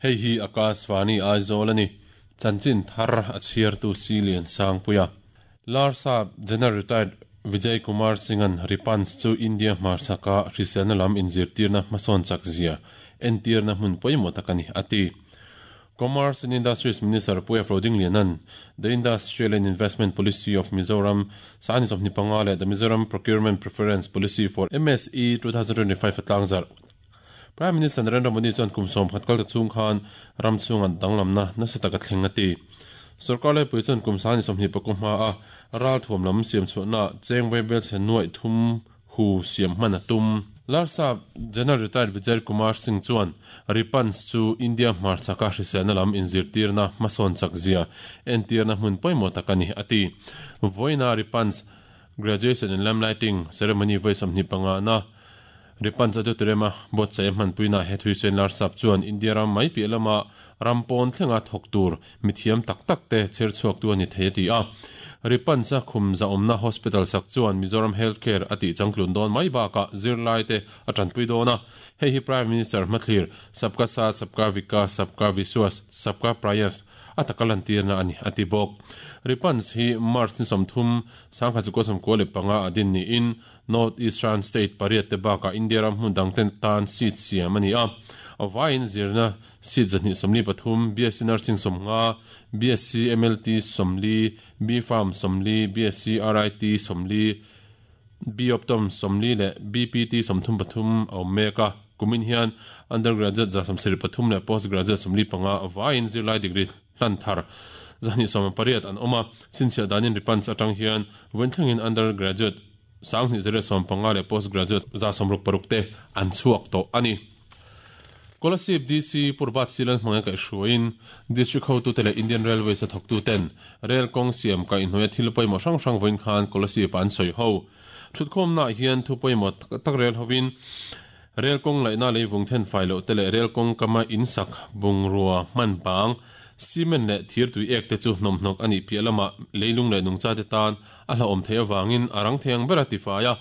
Hei hi Akashvani Aizawl a ni. Chanchin thar a chhiartu Silian Sangpuia. Larsap General Retired Vijay Kumar Singh-a'n Ripans chu India hmarchhaka hriselna lam inzirtirna hmasawn chak zia entirna hmun pawimawh tak a ni, a ti. Commerce and Industries Minister Pu F. Rodingliana'n The Industrial and Investment Policy of Mizoram sani 25 leh The Mizoram Procurement Preference Policy for MSE 2025 a tlangzarh. Prime Minister Narendra Modi chuan kum 10 kal ta chhung khan ram chhunga danglamna nasa taka thleng a ti. Sorkar laipui chuan kum sani 25 hma a ralthuam lam siam chhuahna cheng vaibel chhe nuaih thum hu siam hman a tum. Larsap General Retired Vijay Kumar Singh chuan Ripans chu India hmarchhaka hriselna lam inzirtirna hmasawn chak zia entirna hmun pawimawh tak a ni, a ti. Vawiina Ripans Graduation and Lamp Lighting Ceremony vawi 25 na Ripans Auditorium a buatsaih a hmanpuina he thuisen Larsap chuan India ram mai piah lama ram pawn thlenga thawk tur mithiam tak tak te chher chhuak tu a ni thei a ti a. Ripans a khum zahawmna hospital sak chuan Mizoram Healthcare a tih changtlun dawn mai bakah zirlai te a tanpui dawn a. Hei hi Prime Minister hmathlir Sabka Saath, Sabka Vikas, Sabka Vishwas, Sabka Prayas a taka lantirna a ni, a ti bawk. Ripans hi March ni 30, 1995 a din niin North Eastern State pariat te bakah India ram hmun dang ten tan seat siam a ni a. A vaiin zirna seat 123, BSc Nursing 50, BSc MLT 40, B Pharm 40, BSc RIT 40, B Optom 40 leh BPT 33 a awm mek a. Kumin hian undergraduate 173 leh postgraduate 45 a vaiin zirlai degree hlan thar 218 an awm a. Sinchhiah danin Ripans atang hian vawiin thlengin undergraduate 2115 leh postgraduate 166 te an chhuak tawh a ni. Kolasib DC Purbat Silan hmanga kaihhruaiin District hotu te leh Indian Railways a thawktu ten rail kawng siam kaihhnuaia thil pawimawh hrang hrang vawiin khan Kolasib ah an sawi ho. Thutkhawmna ah hian thu pawimawh tak rel hovin rail kawng laihna leivung then fai loh te leh rail kawng kama insak bungrua hman bang cement leh thir tui ek te chu hnawmhnawk a nih piah lamah leilung leh nungcha te tan a hlauhawm theih avangin a rang thei ang ber a tifai a.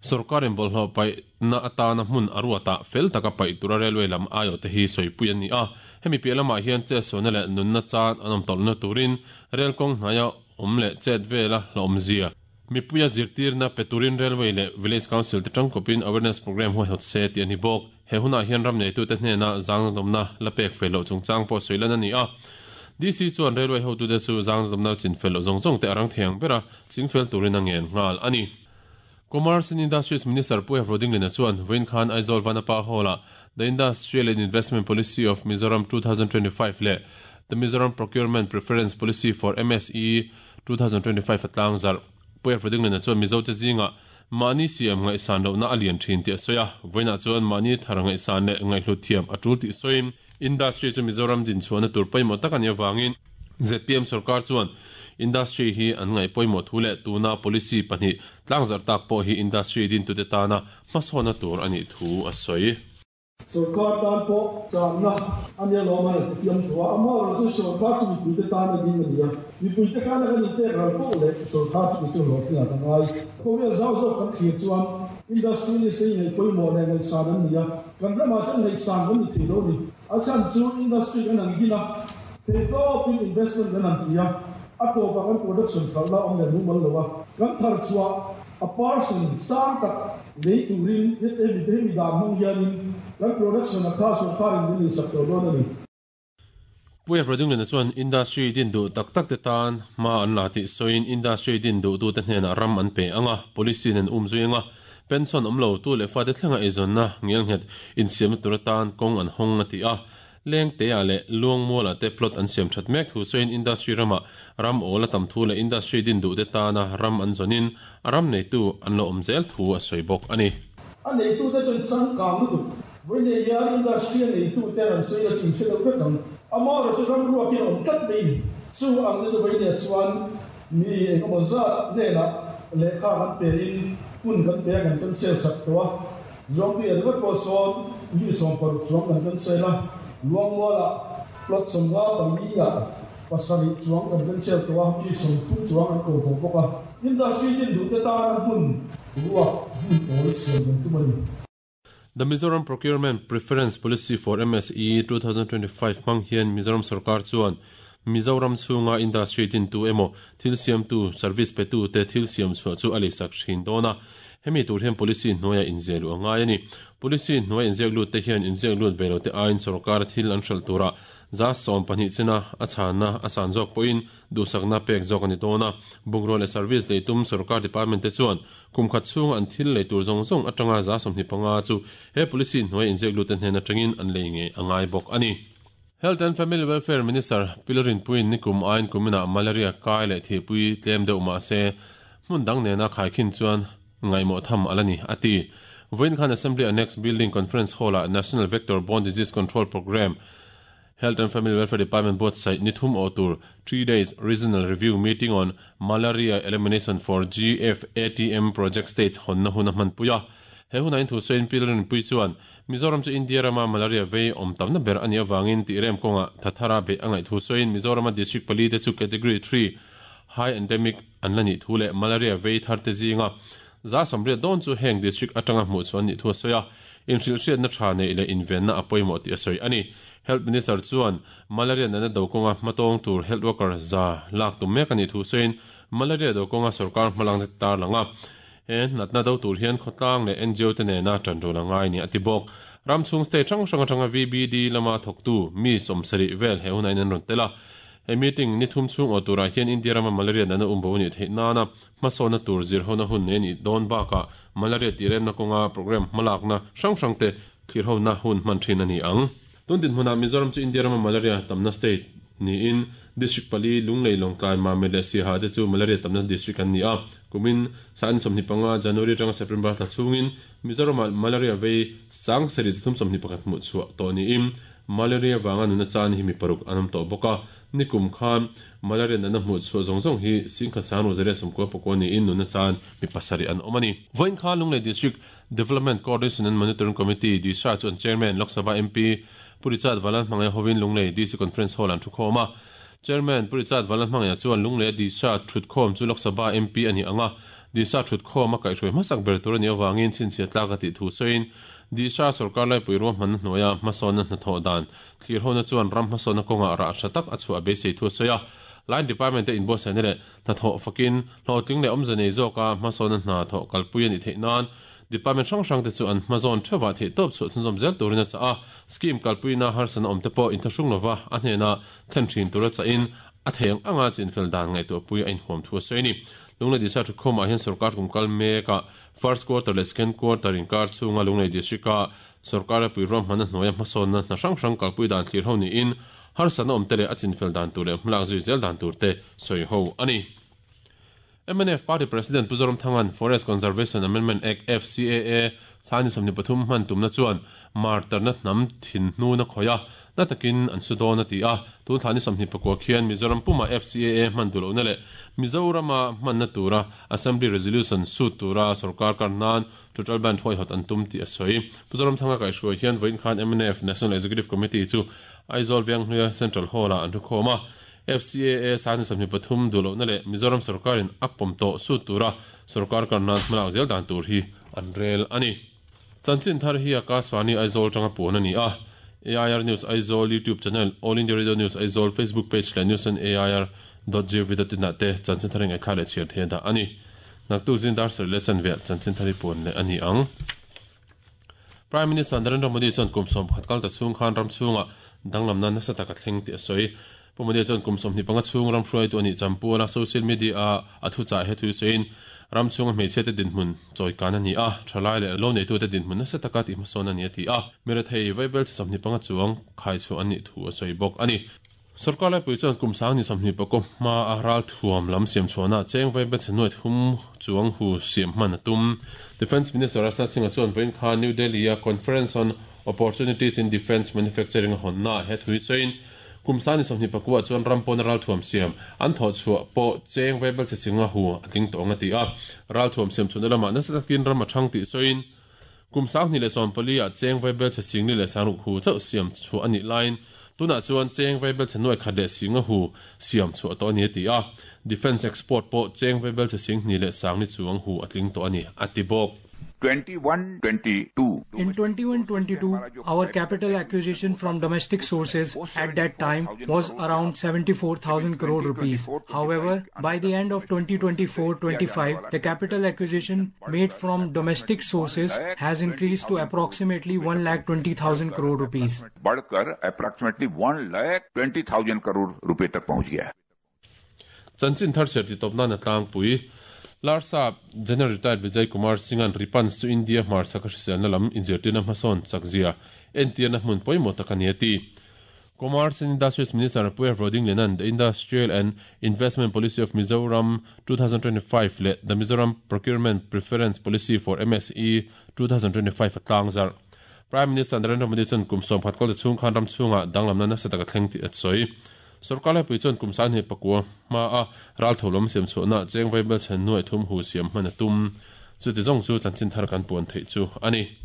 Sorkarin bawlhhlawh paihna atana hmun a ruatah fel taka paih tura railway lam aiawh te hi sawipui an ni a. Hemi piah lamah hian chetsualna leh nunna chan an awm tawlhna turin rail kawng hnaia awm leh chet vela hlauhawmzia mipuia zirtirna pe turin railway leh village council te tangkawpin awareness program huaihawt se tih a ni bawk. He hunah hian ram neitute hnena zangzawmna la pek fel loh chungchang pawh sawi lan a ni a. DC chuan railway hotute chu zangzawmna chin fel loh zawng zawng te a rang thei ang bera chingfel turin a ngen nghal a ni. Commerce and Industries Minister Pu F. Rodingliana chuan vawiin khan Aizawl Vanapa Hall-ah The Industrial and Investment Policy of Mizoram 2025 leh The Mizoram Procurement Preference Policy for MSE 2025 a tlangzarh. Pu F. Rodingliana chuan Mizote zingah mahni siam ngaihsan lohna a lian thin tih a sawi a, vawiinah chuan mahni thar ngaihsan leh ngaihhlut thiam a tul tih sawiin industry chu Mizoram dinchhuahna tur pawimawh tak a nih avangin ZPM sorkar chuan industry hi an ngaih pawimawh thu leh tuna policy pahnih tlangzarh tak pawh hi industry dintute tana hmasawna tur a nih thu a sawi. Sorkar tan pawh channa a nia lawm a ti fiam thu a, amaherawh chu sorkar chu mipuite tan a ding a ni a, mipuite tana kan inpek ral poh leh sorkar chu mi chu hlawhtling a ka ngai. Khawvel zau zawk kan thlir chuan industrialist te hi ngaih pawimawh leh ngaihsan an ni a, kan ramah chuan ngaihsan kan ni thei lo a ni. A chhan chu industry kan han din a, theihtawpin investment kan han ti a, a tawpah kan production hralhna a awm leh mumal lo a, kan thar chhuah a person sang tak lei turin hemi hemi dan hmang hianin kan production a kha sorkarin min leisak tawh dawn a ni. Pu F. Rodingliana chuan industry din duh tak tak te tan hma an la tih sawiin industry din duhtute hnenah ram an pe ang a, policy nen um zui ang a, pension awm lo tu leh fate thlenga eizawnna ngelnghet insiamna tur atan kawng an hawng a ti a. Lengtea leh Luangmuala te plot an siam that mek thu sawiin industry ramah ram awl a tam thu leh industry din duhte tana ram an zawnin a ram neitu an lo awm zel thu a sawi bawk a ni. A neitute chuan changkang lutuk vawiin hian industry a neitute an sawi la chu in hre deuh vek ang. Amaherawh chu ram ruakin a awm tlat mai ni. Chu ang te chu vawiin chuan mi engemaw zat hnenah lehkha kan pein hun kan pe a kan cancel sak tawh a. Zuangtui a ringawt pawh sawn mi 16 chuang kan cancel a, Luangmualah plot 54 ah 7 chuang kan cancel tawh a, mi 30 chuang an ko tawh bawk a. Industry din duhte tana hmun ruak hmun awl siam kan tum a ni. The Mizoram Procurement Preference Policy for MSE 2025 hmang hian Mizoram sorkar chuan Mizoram chhunga industry dintu emaw thil siamtu, service petu te thil siam chhuah chu a leisak thin dawn a. Hemi tur hian policy hnuaia inziah luh a ngai a ni. Policy hnuaia inziak lut te hian inziak lut ve lo te aiin sorkara thil an hralh turah 12% china a chhanna a san zawk pawhin duhsakna pek zawk a ni dawn a. Bungrua leh service leitum sorkar department te chuan Kum khat chhunga an thil lei tur zawng zawng atanga 25% chu he policy hnuai inziak lute hnen atangin an lei ngei a ngai bawk a ni. Health and Family Welfare Minister Pilarinpuiin nikum aiin kuminah malaria kai leh thihpui tlem deuh mah se hmun dang nena khaikhin chuan ngaihmawh tham a la ni, a ti. Vawiin khan Assembly Annex Building Conference Hall-ah National Vector Borne Disease Control Programme, Health and Family Welfare Department buatsaih ni thum awh tur Three Days Regional Review Meeting on Malaria Elimination for GFATM Project States hawnna hun a hmanpui a. He hunah in thusawiin Pi Lalrinpuii chuan Mizoram chu India rama malaria vei awm tamna ber a nih avangin tih rem kawngah thathara beih a ngaih thusawiin Mizorama district palite chu Category Three High Endemic an la nih thu leh malaria vei tharte zinga 80% dawn chu heng district atanga hmuh chhuah an nih thu a sawi a. Inhrilhhriatna tha neih leh invenna a pawimawh tih a sawi a ni. Health Minister chuan malaria natna do kawnga hmatawng tur health worker za lak tum mek a nih thu sawiin malaria do kawnga sorkar hmalakna te tarlang a, he natna do tur hian khawtlang leh ngo te nena tanrual a ngai ni a ti bawk. Ram chhung state hrang hrang atanga VBD lama thawktu mi 70 vel he hunah in an rawn tel a. He meeting ni thum chhung awh turah hian India rama malaria natna umbo a nih theih nana hmasawnna tur zirhona hun nei a nih dawn bakah malaria tihremna kawnga programme hmalakna hrang hrang te thlirhona hun hman thin a ni ang. Tun dinhmunah Mizoram chu India rama malaria tamna state niin district pali, Lunglei, Lawngtlai, Mamit leh Siaha te chu malaria tamna district an ni a. Kumin Sa'an 25 January atanga September thla chhungin Mizoramah malaria vei 7331 hmuh chhuah tawh niin malaria vanga nuna chan hi mi paruk an awm tawh bawk a. Nikum khan malaria natna hmuh chhuah zawng zawng hi 19,994 niin nuna chan mi pasarih an awm a ni. Vawiin khan Lunglei District Development Coordination and Monitoring Committee, DISA, chu an Chairman, Lok Sabha MP, Pu Richard Vanlalhmangaia hovin Lunglei DC Conference Hall an thukhawm a. Chairman, Pu Richard Vanlalhmangaia chuan Lungleia DISA thutkhawm chu Lok Sabha MP a nih ang a, DISA thutkhawm a kaihhruai hmasak ber tur a nih avangin chhinchhiah tlak a tih thu sawiin, DISA sorkar laipui ruahmanna hnuaia hmasawnna hnathawh dan thlirhona chuan ram hmasawnna kawngah rah tha tak a chhuah a beisei thu a sawi a. Line Department te inbuatsaihna leh Hnathawh fakin, hlawhtling leh awmze nei zawka hmasawnna hna thawh kalpui a nih theih nan Department hrang hrangte chu an hmazawn theuhah theihtawp chhuah chhunzawm zel turin a chah a. Scheme kalpuina harsatna awmte pawh inthlahrung lova a hnena thlen thin tura chahin a thei ang anga chinfel dan ngaihtuahpui a inhuam thu a sawi a ni. Lunglei District Thukhawmah hian sorkar kum kal mekah First Quarter leh Second Quarter inkar chhunga Lunglei District-a sorkar ropui ruahmanna hnuaia hmasawnna hna hrang hrang kalpui dan thlir ho niin Harsatna awmte leh a chinfel dan tur leh hmalak zui zel dan tur te sawi ho a ni. Mnf Party President Pu Zoramthanga'n Forest Conservation Amendment Act, FCAA, Sani 23 hman tumna chuan martarna hnam thin hnun a khawih a, na takin an su dawn a ti a. Tun thla ni 24 khian Mizoram puma FCAA hman duh lohna leh Mizorama hmanna tura Assembly Resolution sut tura sorkar kar nan Total Band huaihawt an tum tih a sawi. Pu Zoramthanga kaihhruai hian vawiin khan mnf National Executive Committee chu Aizawl Venghluia Central Hall-ah an thukhawm a, FCAA Sani 23 duh lohna leh Mizoram sorkarin a pawm tawh sut tura sorkar kar nan hmalak zel dan tur hi an rel a ni. Chanchin thar hi Akashvani Aizawl tanga puan a ni a, AIR News Aizawl YouTube channel, All India Radio News Aizawl Facebook page leh news on air dot gov dot in ah te chanchin thar hi ngaihthlak leh chhiar thei a dah a ni. Naktuk zing dar sarih leh chanve ah chanchin thar hi puan leh a ni ang. Prime Minister Narendra Modi chuan kum 11 kal ta chhung khan ram chhungah danglamna nasa tak a thleng tih a sawi. Pu Modi chuan kum 25 chhung ram hruaitu a nih champuala social media-a a thuchah he thu sawiin ram chhunga hmeichhiate dinhmun chawikan a ni a, thalai leh lo neitute dinhmun nasa taka tihhmasawn a ni a ti a. Mirethei vaibel chi 25 chuang khaichhuah an nih thu a sawi bawk a ni. Sorkar laipui chuan kum sang ni 24 hma a ral thuam lam siam chhuahna cheng vai bet nuai thum chuang hu siam hman a tum. Defence Minister Rajnath Singh-a chuan vawiin khan New Delhi-a Conference on Opportunities in Defence Manufacturing a hawnnaah he thu hi sawiin kum sang ni 24 chuan ram pawna ral thuam siam an thawh chhuah pawh cheng vai belchhe chinga hu a tling tawh ang a ti a. Ral thuam siam chhuahna lamah nasa takin ram a thang tih sawiin Kum 2014 ah cheng vaibelchhe singli leh sangruk hu chauh siam chhuah a nih laiin tunah chuan cheng vaibelchhe nuai khat leh singa hu siam chhuah tawh a ni a ti a. Defence export pawh cheng vaibelchhe 20,000 chuang hu a tling tawh a ni a ti bawk. 21-22. In 21-22, our capital acquisition from domestic sources at that time was around 74,000 crore rupees. However, by the end of 2024-25, the capital acquisition made from domestic sources has increased to approximately 1,20,000 crore rupees. बढ़कर approximately 1,20,000 crore रुपए तक पहुंच गया है। Chanchin thar chhiar titawp nan a tlangpui. Larsap General Retired Vijay Kumar Singh-a'n Ripans chu India hmarchhak a hriselna lam inzirtirna hmasawn chakzia entirna hmun pawimawh tak a ni a ti. Commerce and Industries Minister Puia Roding Lenan The Industrial and Investment Policy of Mizoram 2025 leh The Mizoram Procurement Preference Policy for MSE 2025 a tlangzarh. Prime Minister Narendra Modi chuan kum 11 kawlte chhung khan ram chhungah danglamna nasa tak a thleng tih a sawi. Sorkar laipui chuan kum 29 hma a ral tho lam siam chhuahna cheng vaibel chhen nuaih thum hu siam hman a tum. Chuti zawng chu chanchin thar kan puan theih chu a ni.